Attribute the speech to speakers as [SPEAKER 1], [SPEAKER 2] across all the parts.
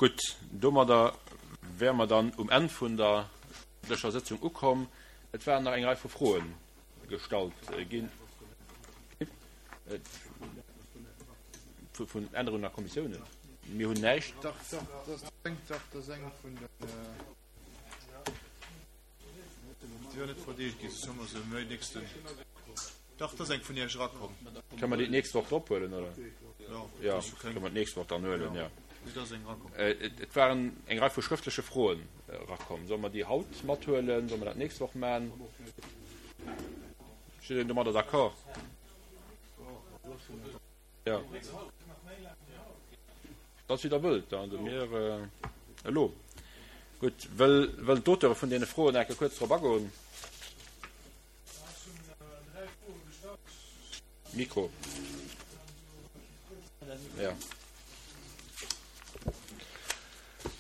[SPEAKER 1] Gutt, domadder wäre mer dann um Enn vun der öffentlecher Sëtzung ukomm. Et waren nach eng Rei vu Froe gestallt ginn. Vun Ännerungen a Kommissiounen? Mir hunn näischt.
[SPEAKER 2] Dach, dach, dat ass eng vun den. Déi war net verdeelt ginn, soss hu mer se méi nächsten. Dach, et ass eng vun Iech erakomm.
[SPEAKER 1] Kënne mer déi d'nächst Woch drop huelen, oder?
[SPEAKER 2] Jo,
[SPEAKER 1] Jo, kënne mer d'nächst Woch dann huelen, jo.
[SPEAKER 2] Et ass eng erakomm.
[SPEAKER 1] Et waren eng Rei vu schrëftleche Froen erakomm. Solle mer déi haut mathuelen? Solle mer dat d'nächst Woch maachen? Ass jiddereen domadder d'accord? Jo. Dat ass wéi Der wëllt. Also mir elo. Gutt, wëll, wëllen d'Auteure vun deene Froen enke kuerz drop agoen? Mikro. Ja.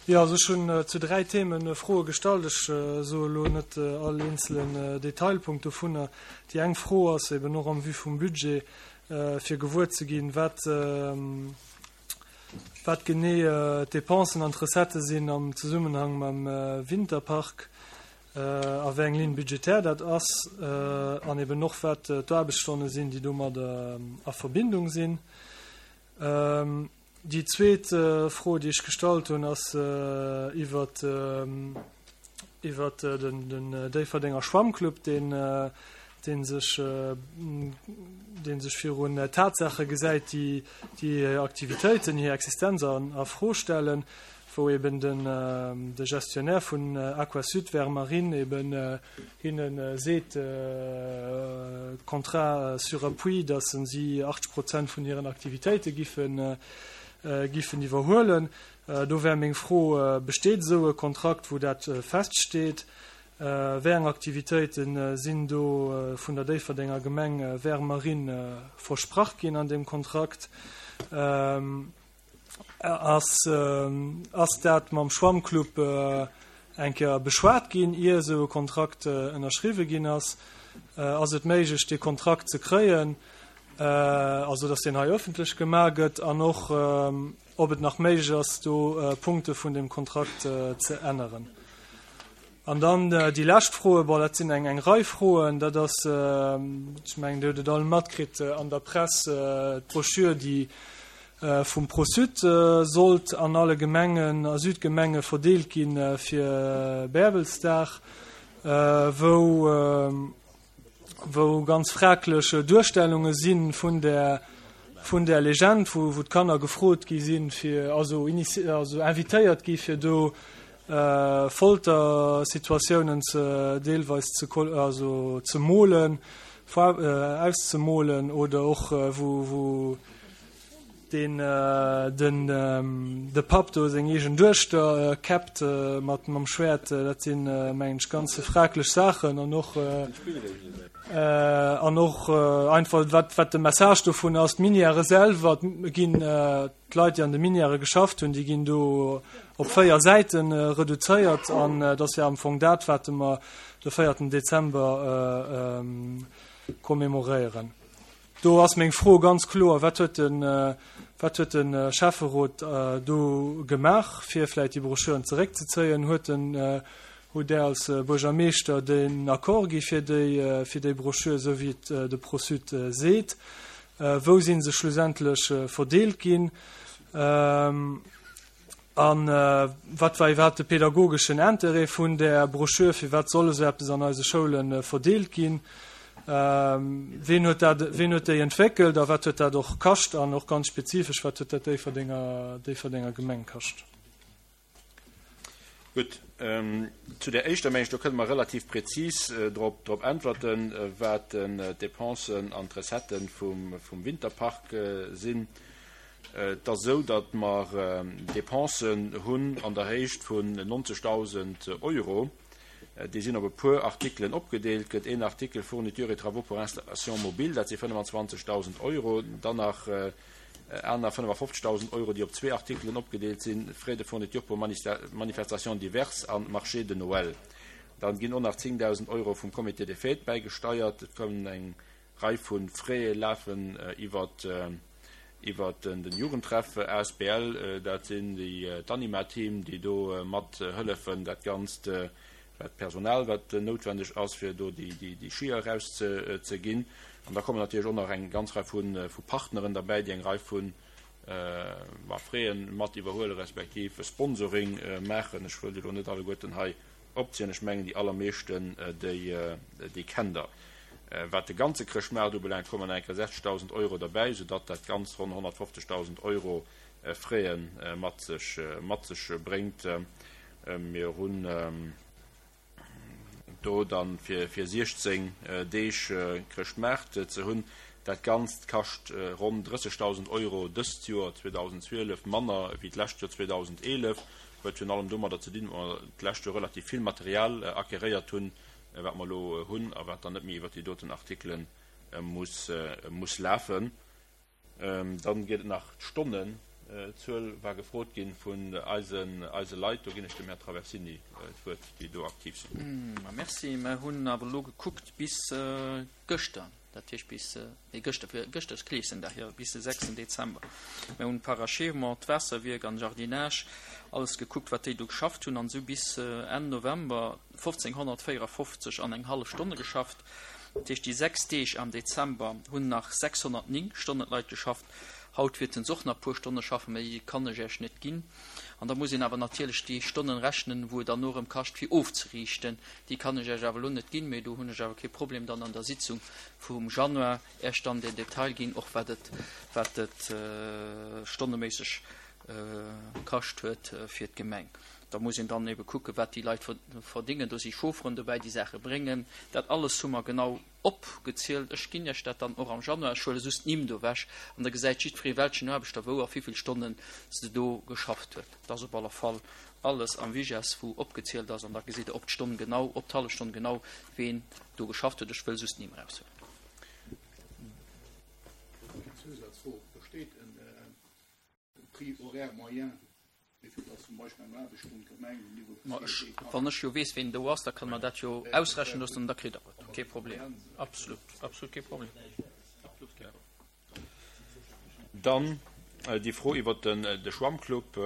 [SPEAKER 3] Jo, also ech hunn zu 3 Themen Froe gestallt. Ech soe elo net all eenzelen Detailpunkt dovunner. Déi eng Fro ass eben och am Vue vum Budget, fir gewuer ze ginn, wat, wat genee d'Depensen an d'Recettë sinn am Zesummenhang mam Winterpark a wéi eng Ligne budgétaire dat ass an eben och wat d'Aarbechtsstonne sinn, déi domadder a Verbindung sinn. Déi zweet Fro, déi ech gestallt hunn, ass iwwert iwwert den Déifferdenger Schwammclub, deen dee sech dee sech virun Tatsaache gesäit, déi déi hir Aktivitéiten, hir Existenz a Fro stellen, wou eben den de Gestionnaire vun Aquasud Vermarine eben hinne seet, Contrat sur appui, datt si 80 Prozent vun hiren Aktivitéite giffen giffen iwwerhuelen. Do wär meng Fro, Besteet esou e Kontrakt, wou dat feststeet? Wéi eng Aktivitéite sinn do vun der Déifferdenger Gemeng Vermarine versprach ginn an deem Kontrakt? Ass ass dat mam Schwammclub eng Kéier beschwat ginn, ier esou e Kontrakt ënnerschriwwe ginn ass? Ass et méiglech, dee Kontrakt ze kréien, also datt deen hei ëffentlech gemaach gëtt, an och ob et nach méiglech ass, do Punkte vun deem Kontrakt ze änneren? An dann déi lescht Froe, bon, dat sinn eng eng Rei Froen, dat ass, ech mengen, Dir hutt et all matkritt an der Press, d'Broschür, déi vum Pro-Sud sollt an alle Gemengen a Südgemenge verdeelt gi fir Bäerbelsdag, wou wou ganz fraglech Duerstellunge si vun där vun där Legend, wou wou d'Kanner gefrot gi sinn, fir also also invitéiert gi fir do Foltersituatiounen ze deelweis ze also ze molen, auszemolen oder och wou wou deen den de Papp do seng eegen Duechter käppt mat mam Schwäert, dat sinn mengen ech ganz fraglech Saachen an och an och einfach wat wat de Message dovun ass, d'Minièrë selwer ginn d'Leit déi an de Minièrë geschafft hunn, déi ginn do op 4 Säite reduzéiert an et ass jo am Fong dat wat mer de véierten Dezember commémoréieren. Do ass meng Fro ganz kloer, Wat huet de, wat huet de Schäfferot do gemaach, fir vläicht déi Broschüren zeréckzezéien? Huet den, hutt Där als Buergermeeschter den Accord gi fir déi, fir déi Broschür, esou wéi et de Pro-Sud seet? Wou si se schlussendlech verdeelt ginn? A wat war iwwerhaapt de pedagogeschen Interêt vun där Broschür? Firwat soll esou eppes an eise Schoule verdeelt ginn? Ween huet dat, ween huet déi entwéckelt a wat huet dat och kascht? An och ganz spezifesch, wat huet dat Déifferdenger, Déifferdenger Gemeng kascht?
[SPEAKER 1] Gutt, zu där éischter, mengen ech, do kënne mer relativ prezis drop, drop äntwerten, wat d'Depensen an d'Recettë vum, vum Winterpark sinn. Et ass esou, datt mer Dépensen hunn an der Héicht vun 90.000 Euro. Déi sinn op e puer Artikelen opgedeelt. Gëtt een Artikel Fournitures et travaux pour installation mobile, dat si 25.000 Euro. Dann nach aner 55.000 Euro, déi op zwee Artikelen opgedeelt sinn, Frais de fourniture pour manifestations diverses a Marché de Noël. Dann ginn och nach 10.000 Euro vum Comité des Fêtes bäigesteiert. Et kommen eng Rei vu Fraie lafen iwwer. Iwwer den Jugendtreff asbl, dat sinn déi d'Anima-Team, déi do mat hëllefen dat Ganzt, wat d'Personal wat noutwendeg ass, fir do déi Skier eraus ze ginn. An da kommen natierlech och nach eng ganz Rei vu Partneren derbäi, déi eng Rei vu Fräen mat iwwerhuelen, respektiv Sponsoring maachen. Ech wëll déi elo net alleguerten hei opzielen, ech mengen déi allermeeschten déi kennt Der. Wat de ganze Chrëschtmaart ubelaangt, kommen nach eng Kéier 60.000 Euro derbäi, soudatt dat Ganzt ronn 150.000 Euro Fräe mat sech mat sech bréngt. Mir hunn do dann fir fir 16 Deeg Chrëschtmaart ze hunn. Dat Ganzt kascht ronn 30.000 Euro dëst Joer 2012 manner wéi d'lescht Joer 2011. Huet virun allem domadder ze dinn, datt mer d'lescht Joer relativ vill Material acqueréiert hunn, wat mer elo hunn a wat dann net méi iwwert déi doten Artikele muss lafen. Dann geet et nach, d'Stonnenzuel war gefrot gi vun eise Leit. Do ginn ech dem Här Traversini d'Wuert, déi do aktiv sinn.
[SPEAKER 4] Merci. Mer hunn awer elo gekuckt bis gëschter, dat heescht bis, nee gëschter, fir gëschter ass Kleeschendag, jo, bis de sechsten Dezember. Mer hunn d'Parachèvement, d'Waasserwierk an Jardinage, alles gekuckt, wat déi do geschafft hunn, an esou bis Enn November 1554 an eng hallef Stonne geschafft. Dat heescht, déi 6 Deeg am Dezember hunn nach 609 Stonnen d'Leit geschafft. Haut wäerten se och nach e puer Stonne schaffen, mä déi kann ech Iech net ginn. An da muss een awer natierlech déi Stonnen rechnen, wou et dann och erëm kascht, fir ofzeriichten. Déi kann ech Iech awer elo net ginn, mä do hunn ech awer kee Problem, dann an der Sitzung vum Januar Iech dann den Detail ginn, och wat et, wat et stonneméisseg kascht huet fir d'Gemeng. Da muss een dann ebe kucken, wat déi Leit verdéngen. Do si Chaufferen dobäi, déi Saache bréngen. Dat alles hu mer genau opgezielt. Ech ginn Iech dat dann och am Januar. Ech huele just d'Nimm do ewech an da gesäit jiddweree, welchen Aarbechter wou a wéivill Stonnen se do geschafft huet. Dat ass op alle Fall alles am VIGES, wou opgezielt ass an da gesitt Der op d'Stonn genau, op d'hallef Stonn genau, ween do geschafft huet. Ech wëll just d'Nimm eraushuelen.
[SPEAKER 5] Eng Zousazfro, Besteet en Prix horaire moyen, wéi vill dass zum Beispill eng Aarbechtsstonn d'Gemeng um Niveau
[SPEAKER 4] Ma ech, wann ech jo weess, ween do ass, da kënne mer dat jo ausrechnen loossen an da kritt Der et. Kee Problem. Absolut, absolut kee Problem. Absolut kee Problem.
[SPEAKER 1] Dann déi Fro iwwert de Schwammclub.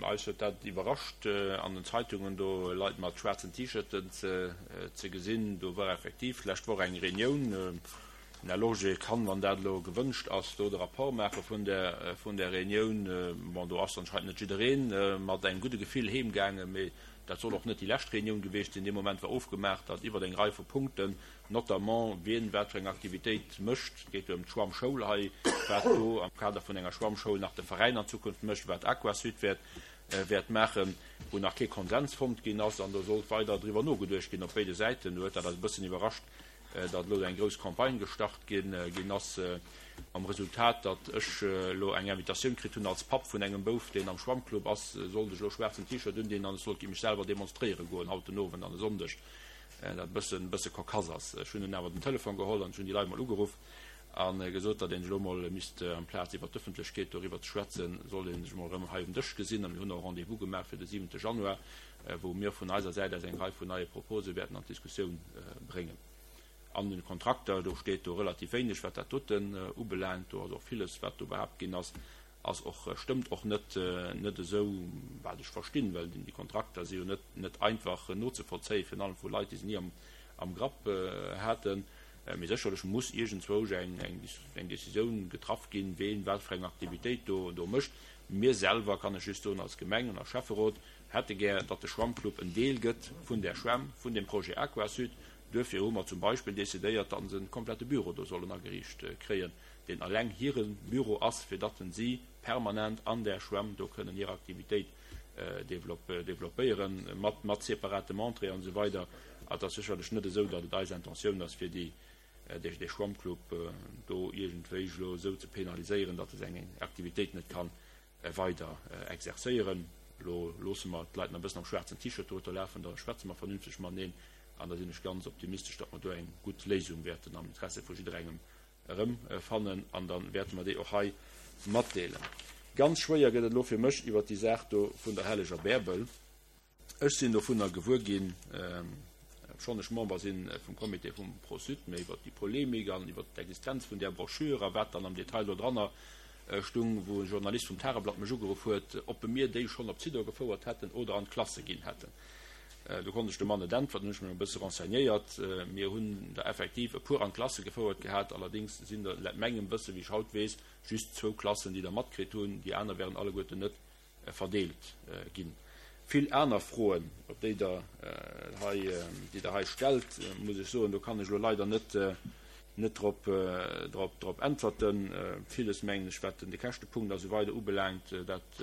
[SPEAKER 1] Eis huet dat iwwerrascht, an den Zeitungen do Leit mat schwaarzen T-Shirten ze gesinn. Do war effektiv d'lescht Woch eng Reunioun. Den Här Lorgé kann, wann dat elo gewënscht ass, do de Rapport maache vun där, vun där Reunioun. Bon, do ass anscheinend net jidderee mat engem gudde Gefill heemgaangen, mee dat soll och net déi lescht Reunioun gewiescht sinn. Dee Moment war ofgemaach, datt iwwer eng Rei vu Punkten, notamment wien wat fir eng Aktivitéit mécht, et geet jo ëm d'Schwammschoul hei, wat do am Kader vun enger Schwammschoul nach de Veräin an Zukunft mécht, wat Aquasud wäert, wäert maachen, wou nach kee Konsens fonnt ginn ass an do sollt weider driwwer nogeduecht ginn op béide Säiten. Do huet dat eis e bëssen iwwerrascht, datt elo eng grouss Campagne gestart ginn ass, mam Resultat, datt ech elo eng Invitatioun kritt hunn als Papp vun engem Bouf, deen am Schwammclub ass, sollt ech elo schwaarzen T-Shirt undinn an ech sollt mech selwer demonstréiere goen haut den Owend an e Sonndeg, dat e bëssen, bësse cocasse ass. Ech hunn dunn awer den Telefon geholl an ech hunn déi Leit mol ugeruff a gesot, datt een sech elo mol misst, amplaz iwwer d'Ëffentlechkeet doriwwer ze schwätzen, sollt ee sech mol erëm hei um Dësch gesinn. A mir hunn och e Rendez-vous gemaach fir de siwente Januar, wou mir vun eiser Säit aus eng Rei vun neie Propose wäerten an d'Diskussioun bréngen. An den Kontrakter, do steet do relativ wéineg, wat dat doten ubelaangt. Do ass och villes, wat do behaapt ginn ass, ass och, stëmmt och net, net esou, wat ech verstinn, well déi Kontrakter si jo net, net einfach nozevollzéien, virun allem vu Leit, déi se ni am, am Grapp haten. Mee sécherlech muss iergendzwousch eng, eng, eng Décisioun getraff ginn, ween wat fir eng Aktivitéit do, do mécht. Mir selwer, kann ech just soen, als Gemeng an als Schäfferot, hätte gär, datt de Schwammclub en Deel gëtt vun där Schwämm, vun deem Projet Aquasud. Duerfir hu mer zum Beispill decidéiert, datt se e komplette Büro do sollen ageriicht kréien, deen alleng hire Büro ass, fir datt si permanent an där Schwämm do kënnen hir Aktivitéit développéieren, mat, mat separatem Entrée an esou weider. Et ass sécherlech net esou, datt et eis Intentioun ass, fir déi, dee Schwammclub do iergendwéi elo esou ze penaliséieren, datt e seng Aktivitéit net kann weider exerzéieren. Elo loosse mer d'Leit nach e bëssen am schwaarzen T-Shirt dorueter lafen, da schwätze mer vernünfteg mateneen an da sinn ech ganz optimistesch, datt mer do eng gutt Léisung wäerten am Interesse vu jidderengem erëmfannen an da wäerte mer déi och hei matdeelen. Ganz schwéier gëtt et elo fir mech iwwert déi Saach do vun der helleger Bäerbel. Ech sinn dovunner gewuer ginn, obschonn ech Member si vum Comité vum Pro-Sud, mä iwwert déi Polemik an iwwert d'Existenz vun där Broschür a wat dann am Detail do dranner. stung, wou e Journalist vum Tageblatt mech ugeruff huet, ob mir déi schonn op Zidor gefouert hätten oder an d'Klasse ginn hätten. Do konnt ech dem Mann net äntwerten, hunn ech mech e bësse renseignéiert. Mir hunn der effektiv e puer an d'Klasse gefouert gehat, allerdéngs sinn der, laut mengem Wësse wéi ech haut weess, just zwou Klassen, déi der matkritt hunn, déi aner wären alleguerten net verdeelt ginn. Vill aner Froen, op déi Der hei, déi Der hei stellt, muss ech soen, do kann ech elo leider net, net drop, drop, drop äntwerten. Villes, mengen ech, wat de Käschtepunkt a sou weider ubelaangt, dat,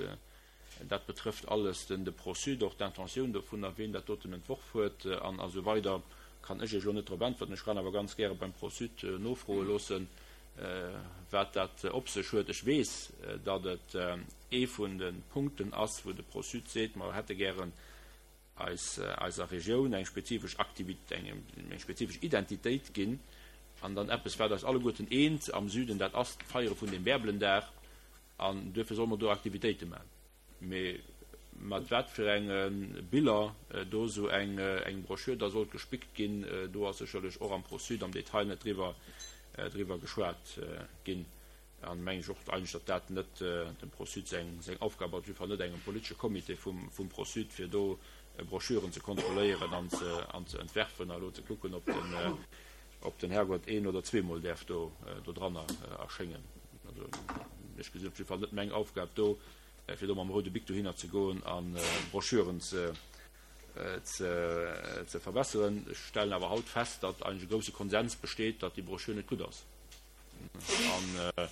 [SPEAKER 1] dat betrëfft alles den, de Pro-Sud, och d'Intentioun dovunner, wien dat doten entworf huet an a sou weider, kann ech Iech elo net drop äntwerten. Ech kann awer ganz gäre beim Pro-Sud nofroe loossen, wat dat op sech huet. Ech weess, datt et ee vun de Punkten ass, wou de Pro-Sud seet, mer hätte gären eis eiser Regioun eng spezifesch Aktivit, eng spezifesch Identitéit ginn. An dann eppes, wat eis alleguerten eent am Süden, dat ass d'Feiere vun dem Bärbelendag. An duerfir solle mer do Aktivitéite maachen. Mee mat wat fir enge Biller do esou eng Broschür da sollt gespickt ginn, do ass sécherlech och am Pro-Sud am Detail net driwwer geschwat ginn. An mengen ech och eigentlech, datt dat net dem Pro-Sud seng Aufgab ass, op jidde Fall net engem politesche Comité vum Pro-Sud, fir do Broschüren ze kontrolléieren an ze entwerfen a elo ze kucken, ob den Herrgott een oder zweemol däerf do dranner erschéngen. Also ech gesinn op jidde Fall net meng Aufgab do, fir do mam roude Bic dohinner ze goen a Broschüren ze verbesseren. Ech stellen awer haut fest, datt eigentlech e grousse Konsens besteet, datt déi Broschür net gutt ass. A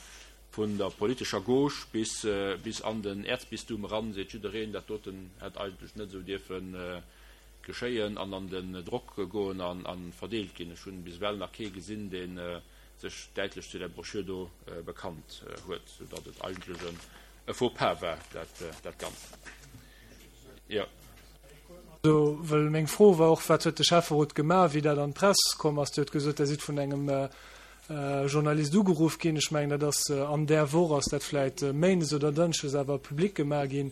[SPEAKER 1] vun der politescher Gauche bis bis an den Äerzbistum eran seet jiddereen, dat doten hätt eigentlech net esou dierfe geschéien an an den Drock goen a verdeelt ginn. Ech hunn bis ewell nach kee gesinn, dee sech däitlech zu där Broschür do bekannt huet, soudatt et eigentlech e Faux pas war, dat Ganzt. Jo.
[SPEAKER 3] Also, well meng Fro war och, Wat huet de Schäfferot gemaach, wéi dat an d'Press komm ass? Dir hutt gesot, Der sidd vun engem Journalist ugeruff ginn. Ech mengen, dat ass an där Woch, ass dat vläicht méindes oder dënschdes awer public gemaach ginn.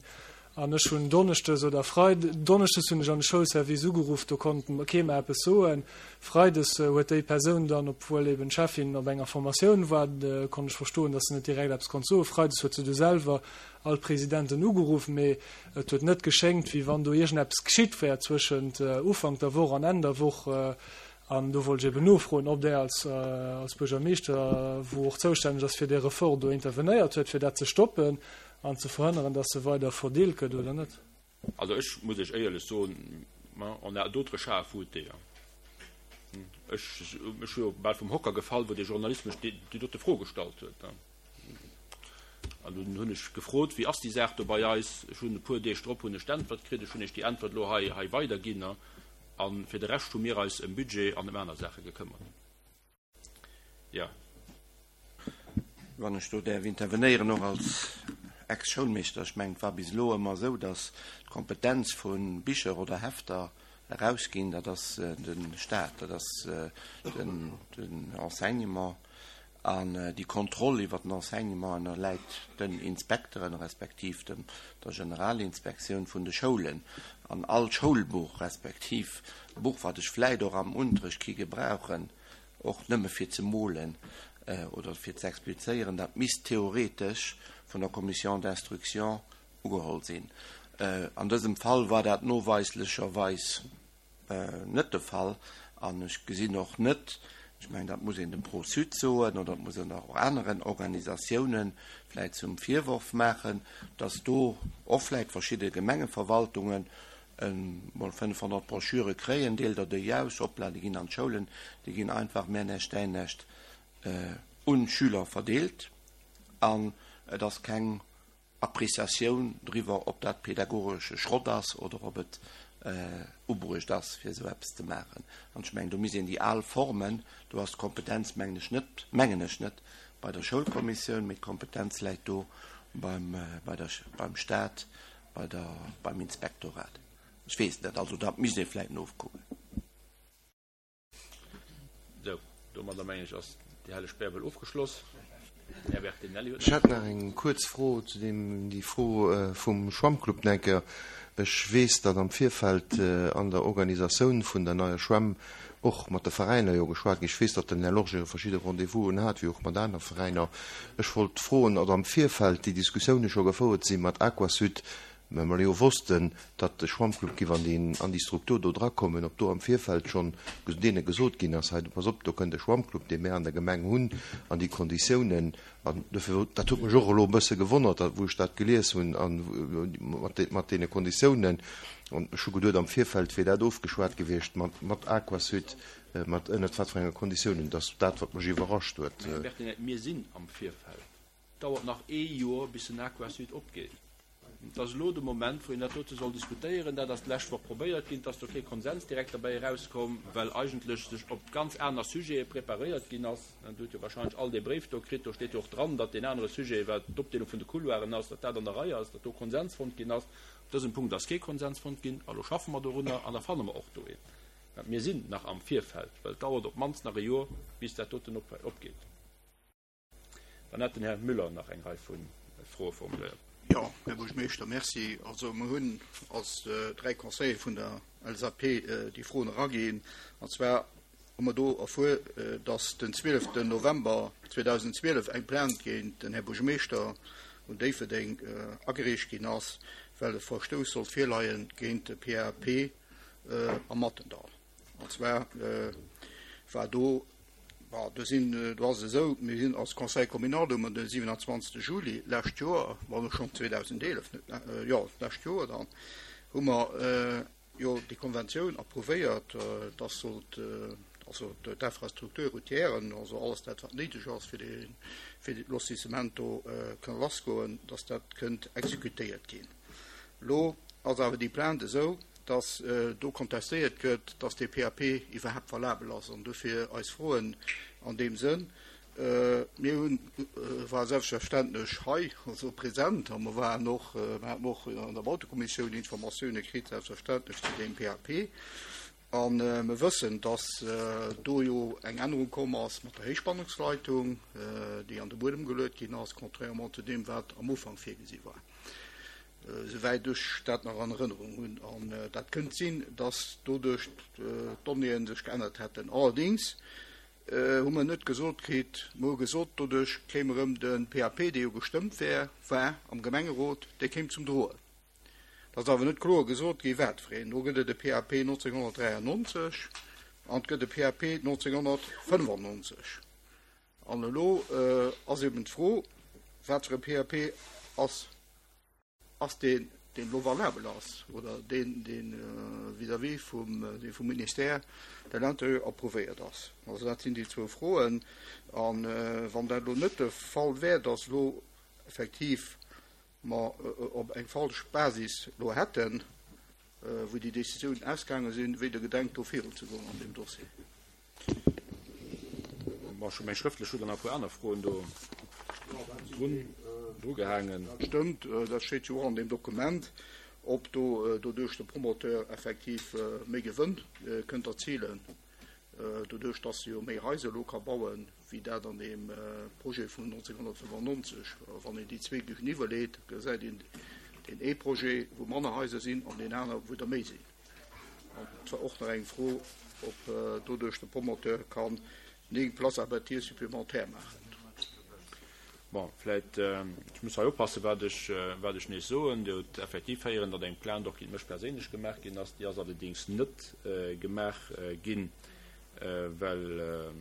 [SPEAKER 3] An ech hunn donneschdes oder Freid, donneschdes hunn ech an de Schoulservice ugeruff, do konnt kee mer eppes soen. Freides huet déi Persoun dann, obwuel eben d'Cheffin op enger Formatioun war, konnt ech verstoen, datt se net direkt eppes konnt soen, freides huet se du selwer all d'Presidenten ugeruff, mee et huet net geschéngt, wéi wann do iergendeppes geschitt wär zwëschent Ufank der Woch an Enn der Woch. An do wollt ech eben nofroen, ob Der als, als Buergermeeschter, wou och zoustänneg ass fir dee Ressort, do intervenéiert huet, fir dat ze stoppen an ze verhënneren, dass se weider verdeelt gëtt oder net.
[SPEAKER 1] Also ech muss Iech éierlech soen, on a d'autres chats à fouetter. Ech, ech hu jo bal vum Hocker gefall, wou dee Journalist mech déi, déi dote Fro gestallt huet. An dunn hunn ech gefrot, wéi ass déi Saach do bei eis? Ech hunn e puer Deeg drop hunn ech d'Äntwert kritt. Ech hunn Iech déi Äntwert elo hei, hei weiderginn. A fir de Rescht hu mir eis ëm Budget an ëm aner Saache gekëmmert. Jo.
[SPEAKER 6] Wann ech do däerf intervenéieren, och als Ex-Schoulmeeschter, ech mengen, et war bis elo ëmmer esou, datt d'Kompetenz vu Bicher oder Hefter erausginn, dat ass de Stat, dat ass den Enseignement. An déi Kontroll iwwert den Enseignement ënnerläit den Inspekteren, respektiv dem, der Generalinspektioun vun de Schoulen. An all Schoulbuch, respektiv Buch, wat ech vläit och am Unterrecht ki gebrauchen, och nëmme fir ze molen oder fir ze explizéieren, dat misst theoretesch vun der Commission d'instruction ugeholl sinn. An dësem Fall war dat noweislecherweis net de Fall an ech gesinn och net, ech mengen dat muss een dem Pro-Sud soen oder dat muss een och aneren Organisatiounen vläit zum Virworf maachen, datt do och vläit verschidde Gemengeverwaltungen emol 500 Broschüre kréien, deelt der déi aus, hoppla, déi ginn an d'Schoulen, déi ginn einfach mär näischt däin näischt un d'Schüler verdeelt an et ass keng Appréciatioun driwwer, ob dat pädagogesche Schrott ass oder ob et ubruecht ass, fir esou eppes ze maachen. An ech mengen, do misst een déi al Formen, do ass d'Kompetenz, mengen ech net, mengen ech net bei der Schoulkommissioun, mee d'Kompetenz läit do beim, bei der, beim Stat, bei der, beim Inspektorat. Ech weess et net, also dat misst ee vläicht nofkucken.
[SPEAKER 1] Sou, domadder mengen ech ass déi helleg Bärbel ofgeschloss.
[SPEAKER 7] Här Bertinelli huet nach. Ech hätt nach eng kuerz Fro zu deem, déi Fro vum Schwammclub nach eng Kéier. Ech weess, datt am Virfeld an der Organisatioun vun der neier Schwämm och mat de Veräiner jo geschwat ginn. Ech weess, datt den Här Lorgé verschidde Rendez-vousen hat, wéi och mat aner Veräiner. Ech wollt froen, ob am Virfeld déi Diskussioune scho gefouert si mat Aquasud, well mer jo wossten, datt de Schwammclub giff an déi an déi Struktur do drakommen, ob do am Virfeld schonn deene gesot ginn ass, hei pass op, do kënnt e Schwammclub, dee mär an der Gemeng hunn, an déi Konditiounen An dofir, dat huet mech och elo e bësse gewonnert, wou ech dat gelies hunn, a mat deene Konditiounen. An ech hu geduet, am Virfeld wier dat ofgeschwat gewiescht mat Aquasud, mat ënnert wat fir enge Konditiounen. Dat ass dat, wat mech iwwerrascht huet.
[SPEAKER 1] Här Bertinet, mir sinn am Virfeld. Et dauert nach ee Joer, bis den Aquasud opgeet. Et ass elo de Moment, wou een dat dote soll diskutéieren. Dat ass d'lescht Woch probéiert ginn. Et ass do kee Konsens direkt derbäi erauskomm, well eigentlech sech op ganz aner Sujete preparéiert ginn ass. Dir hutt jo wahrscheinlech all dee Bréif do kritt. Do steet jo och dran, datt deen anere Sujet, wat d'Opdeelung vun de Couloiren ass, datt dat an der Rei ass, datt do Konsens fonnt ginn ass. Op dësem Punkt ass kee Konsens fonnt ginn. A lo schaffe mer dorunner an da fanne mer och do een. Mä mir sinn nach am Virfeld, well et dauert op d'mannst nach e Joer, bis dat doten opgeet. Dann hat den Här Müller nach eng Rei vu Froe formuléiert.
[SPEAKER 5] Jo, Här Buergermeeschter, Merci. Also mer hunn als dräi Conseiller vun der LSAP déi Froen eraginn. An zwar hu mer do erfuer, dass den 12 November 2012 eng Plainte géint den Här Buergermeeschter un Déifferdeng agereecht ginn ass, well e Verstouss sollt virleie géint de PAP am Mattendall. An zwar war do, bon, do sinn, do ass et esou, mir sinn als Conseil communal, do hu mer de 27. Juli lescht Joer, bon, schonn 2011, net, jo, d'lescht Joer dann, hu mer jo déi Konventioun approuvéiert, dass sollt, also d'Infrastructure routière, also alles dat, wat néideg ass, fir dee, fir de Lotissement do kënne lassgoen, dass dat kënnt exekutéiert ginn. Elo ass awer déi Plainte esou, dass do kontestéiert gëtt, dass dee PAP iwwerhaapt valabel ass. An dofir eis Froen an deem Sënn. Mir hunn, ware selbstverständlech hei, also present, a mer waren och, mer haten och an der Bautekommissioun Informatioune kritt, selbstverständlech zu deem PAP. A mer wëssen, dass do jo eng Ännerung komm ass mat der Héichspannungsleitung, déi an de Buedem geluet ginn ass, contrairement zu deem, wat am Ufank virgesi war. Souwäit ech dat nach an Erënnerung hunn. An dat kënnt sinn, dass doduerch d'Donnéeën sech geännert hätten. Allerdéngs hu mer net gesot kritt, mer hu gesot, doduerch kéim erëm de PAP, dee jo gestëmmt wär, war am Gemengerot, dee kéim zum Droen. Et ass awer net kloer gesot gi wat fir een. Do gëtt et e PAP 1993 an et gëtt e PAP 1995. An elo ass eben d'Fro, wat fir e PAP ass, ass deen, deen elo valabel ass, oder deen, dee vis-à-vis vum, dee vum Ministère de l'Intérieur approuvéiert ass. Also dat sinn déi zwou Froen. A wann dat elo net de Fall wär, dass elo effektiv mer op eng falsch Basis elo hätten, wou déi Décisiounen ausgaange sinn, wéi Der gedenkt do virunzegoen an deem Dossier.
[SPEAKER 1] Bon, ech hu meng schrëftlech, hu dann nach e puer aner Froen do drun, drugehaangen.
[SPEAKER 5] Dat stëmmt, dat steet jo och an deem Dokument, ob do doduerch de Promoteur effektiv méi Gewënn kënnt erzilen, doduerch dass e jo méi Haiser elo ka bauen, wéi dat an deem Projet vun 1995. Wann een déi zwee géigeniwwerleet, gesäit een deen ee Projet, wou manner Haiser sinn, an deen aner, wou der méi sinn. An et war och nach eng Fro, ob doduerch de Promoteur kann 9 Places à bâtir supplémentaires maachen.
[SPEAKER 1] Bon, vläicht, ech muss hei oppassen, wat ech, wat ech nees soen. Dir hutt effektiv héieren, datt eng Plainte och géint mech perséinlech gemaach ginn ass. Déi ass allerdéngs net gemaach ginn, well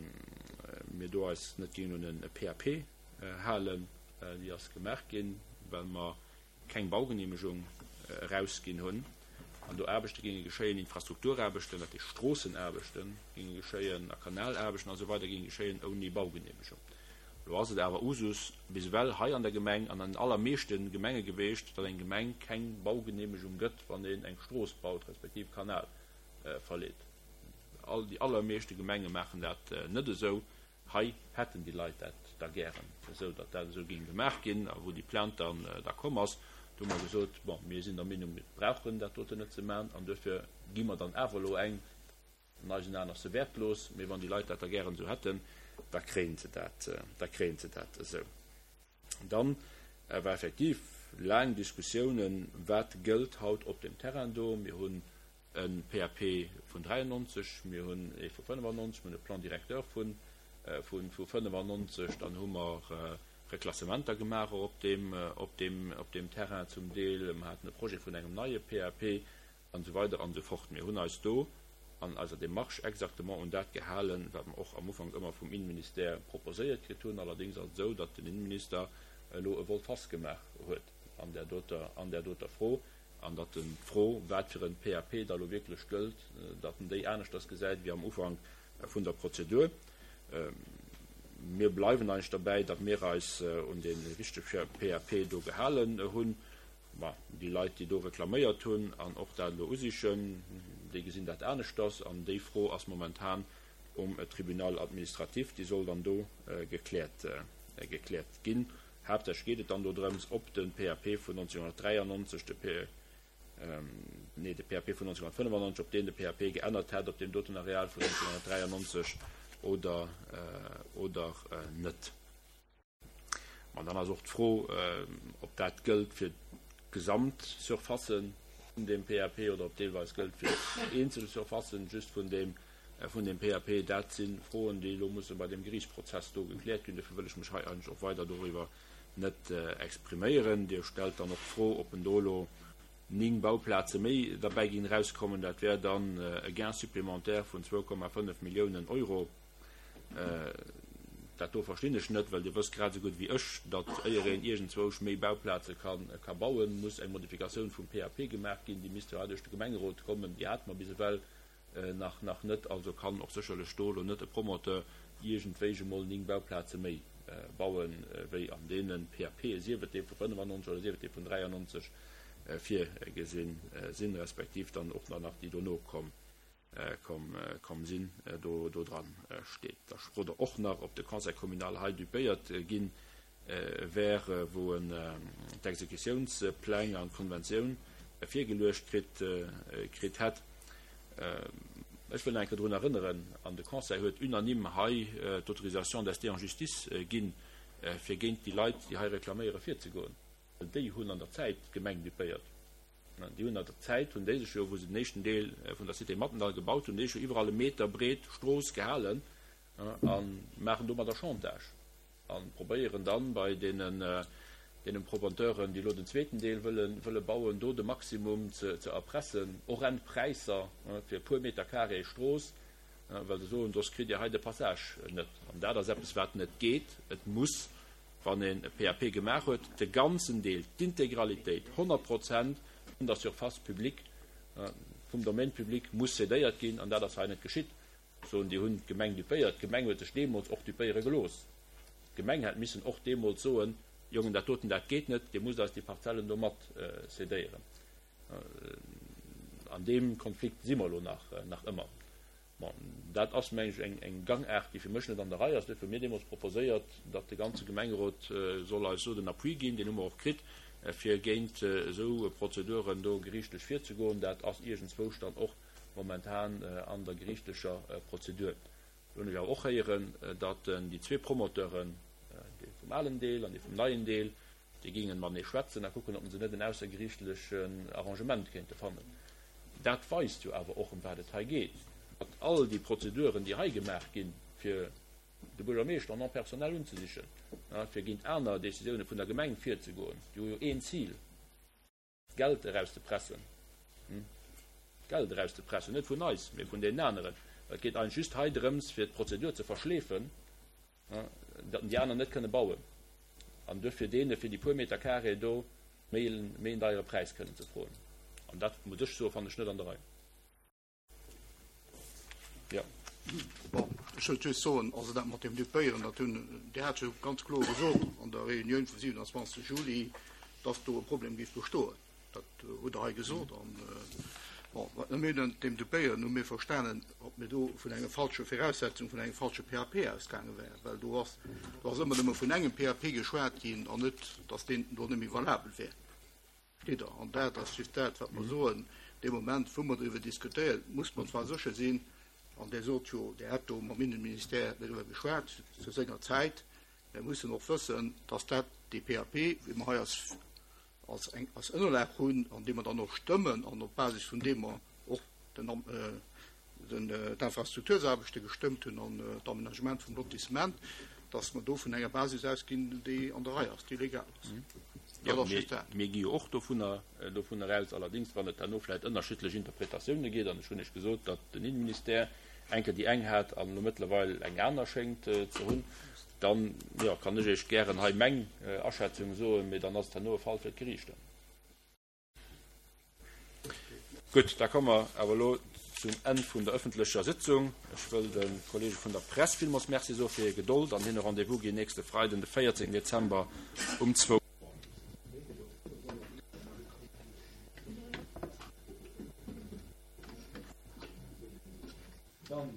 [SPEAKER 1] mir do eis net géingen un e PAP halen. Déi ass gemaach ginn, well mer keng Baugenehmegung erausginn hunn an do Aarbechte géinge geschéien, Infrastrukturaarbechten, dat heescht Stroossenaarbechte géinge geschéien a Kanalaarbechten a sou weider géinge geschéien ouni Baugenehmegung. Elo ass et awer Usus bis ewell hei an der Gemeng an an den allermeeschte Gemenge geweecht, datt eng Gemeng keng Baugenehmegung gëtt, wann een eng Strooss baut respektiv e Kanal verleet. All, déi allermeeschte Gemenge maachen dat net esou. Hei hätten déi Leit dat da gären esou, datt dat esou géing gemaach ginn. A wou déi Plainte dann da komm ass, do hu mer gesot, bon, mir sinn der Meenung, mir brauchen dat doten net ze maachen an duerfir gi mer dann awer elo eng. An eisen Aen ass se wäertlos, mee wann déi Leit dat da gären esou hätten, da kréien se dat, da kréien se dat esou. Dann war effektiv. laang Diskussiounen, wat gëllt haut op deem Terrain do. Mir hunn e PAP vun 93, mir hunn ee vu 95, mir hunn e Plan directeur vu 95, dann hu mer Reklassementer gemaach och op deem, op deem, op deem Terrain zum Deel. Mer haten e Projet vun engem neie PAP an esou weider an esou fort. Mir hunn eis do an eiser Démarche exactement un dat gehalen, wat mer och am Ufank ëmmer vum Innenministère proposéiert kritt hunn. Allerdéngs ass et esou, datt den Innenminister elo e Volte-face gemaach huet an där doter, an där doter Fro, an datt en d'Fro, wat fir e PAP da elo wierklech gëllt, datt en déi aneschters gesäit wéi am Ufank vun der Prozedur. Mir bleiwen eigentlech derbäi, datt mir eis un dee richtege PAP do gehalen hunn. Mä déi Leit, déi do reklaméiert hunn an och dat elo usichen, déi gesinn dat aneschters. An déi Fro ass momentan um Tribunal administratif, déi soll dann do gekläert, gekläert ginn. Haaptsächlech geet et dann do drëms, ob de PAP vun 1993, de P, nee, de PAP vun 1995, ob deen de PAP geännert hätt op deem doten Areal vun 1993 oder, oder net. An dann ass och d'Fro, ob dat gëllt fir d'Gesamtsurfacë vun deem PAP oder ob deelweis gëllt fir eenzel Surfacen just vun deem, vun deem PAP. Dat si Froen, déi elo musse bei deem Geriichtsprozess do gekläert ginn. Dofir wëll ech mech hei eigentlech och weider doriwwer net expriméieren. Dir stellt dann och d'Fro, ob en do elo 9 Bauplaze méi derbäi ginn erauskommen. Dat wär dann e Gain supplémentaire vun 2,5 Milliounen Euro. Dat do verstinn ech net, well Dir wësst grad esou gutt wéi ech, datt éier een iergendzwousch méi Bauplaze ka bauen, muss eng Modifikatioun vum PAP gemaach ginn. Déi misst jo hei duerch de Gemengerot kommen. Déi hate mer bis ewell nach nach net. Also kann och sécherlech do elo net e Promoteur iergendwéi emol 9 Bauplaze méi bauen, wéi an deene PAPe, sief et dee vu 95 oder sief et dee vun 93, virgesinn sinn, respektiv dann och nach déi dono komm komm sinn, do dran steet. Da frot Der och nach, ob de Conseil communal hei dupéiert gi wär, wou en d'Exekutiounspläng an d'Konventioun virgeluecht kritt kritt hätt. Ech wëll nach eng Kéier drun erënneren, an de Conseil huet unanime hei d'Autorisation d'ester en justice ginn, fir géint déi Leit, déi hei reklaméieren, virzegoen. Well déi hunn an der Zäit d'Gemeng dupéiert. Déi hunn an der Zäit, hunn déi sech jo, wou se den éischten Deel vun der Cité Mathendahl gebaut hunn, déi sech jo iwwerall e Meter breet Strooss gehalen a maachen domadder Chantage a probéieren dann bei deenen, deenen Promoteuren, déi elo den zweeten Deel wëlle, wëlle bauen, do de Maximum ze, ze erpressen, horrend Präisser fir e puer Meter carré Strooss, well se soen, soss kritt Dir hei de Passage net. An dat ass eppes, wat net geet. Et muss wann een e PAP gemaach huet, de ganzen Deel, d'Integralitéit, 100 Prozent vun der Surface publique, vum Domaine public muss cédéiert ginn, an dat ass hei net geschitt. Soen, Dir hunn d'Gemeng dupéiert. D'Gemeng huet sech deemools och dupéiere gelooss. D'Gemeng hätt missen och deemools soen, Jongen, dat doten, dat geet net, Dir musst eis déi Parzellen do mat cédéieren. An deem Konflikt si mer elo nach ëmmer. Bon, dat ass, mengen ech, eng Gangaart, déi fir mech net an der Rei ass. Duerfir hu mir deemools proposéiert, datt de ganze Gemengerot soll eis do den Appui ginn, deen hu mer och kritt, fir géint esou Prozeduren do geriichtlech virzegoen. Dat ass iergendzwousch dann och momentan an der geriichtlecher Prozedur. Lo hunn ech awer och héieren, datt déi zwee Promoteuren, dee vum alen Deel an dee vum neien Deel, Déi géingen matenee schwätzen a kucken, ob se net en aussergeriichtlechen Arrangement kéinte fannen. Dat weist jo awer och, ëm wat et hei geet, datt all déi Prozeduren, déi hei gemaach ginn, fir de Buergermeeschter en nom personnel unzesichen, fir géint aner Décisioune vun der Gemeng virzegoen, déi hu jo een Zil, Geld erauszepressen, Geld erauszepressen, net vun eis, mee vun deenen aneren. Et geet eigentlech just hei drëms, fir d'Prozedur ze verschleefen, datt déi aner net kënne bauen an duerfir deene fir déi puer Meter carré do méi en deiere Präis kënnen ze froen. An dat, muss ech soen, fannen ech net an der Rei.
[SPEAKER 5] Jo. Bon, ech wëllt just soen, also dat mat dem Dupéieren, dat hunn, Dir hat jo ganz kloer gesot an der Reunioun vum 27. Juli, dass do e Problem géif bestoen. Dat hutt Der hei gesot. An, bon, wat mir ënnert dem Dupéieren hu mir verstanen, ob mir do vun enger falsche Viraussetzung, vun engem falsche PAP ausgaange wären, well do ass, do ass ëmmer nëmme vun engem PAP geschwat ginn an net, dass deen do net méi valabel wär. Versteet Der? An dat ass just dat, wat mer soen. Dee Moment, wou mer driwwer diskutéieren, muss mer zwar sécher sinn, an Dir sot jo, Dir hätt do mam Innenministère driwwer geschwat zu senger Zäit, mir mussen och wëssen, dass dat dee PAP, wéi mer hei als. als eng als Ënnerlag hunn an dee mer dann och stëmmen an op Basis vun deem mer och den den d'Infrastruktursaarbechte gestëmmt hunn an d'Aménagement vum Lotissement, dass mer do vun enger Basis ausginn, déi an der Rei ass, déi legal ass.
[SPEAKER 1] Jo, mir gi jo och dovunner dovunner aus. Allerdings, wann et herno vläicht ënnerschiddlech Interpretatioune gétt, an ech hunn Iech gesot, datt den Innenministère eng Kéier déi eng hat an elo mëttlerweil eng aner schéngt ze hunn, dann, jo, kann ech Iech gären hei meng Aschätzung soen, mee dann ass et herno e Fall fir d'Geriichter. Gutt, da komme mer awer elo zum Enn vun der ëffentlecher Sitzung. Ech wëll de Kollege vun der Press villmools Merci soe fir hir Gedold an hinne Rendez-vous ginn nächste Freiden, de 14 Dezember um zwou. Dann.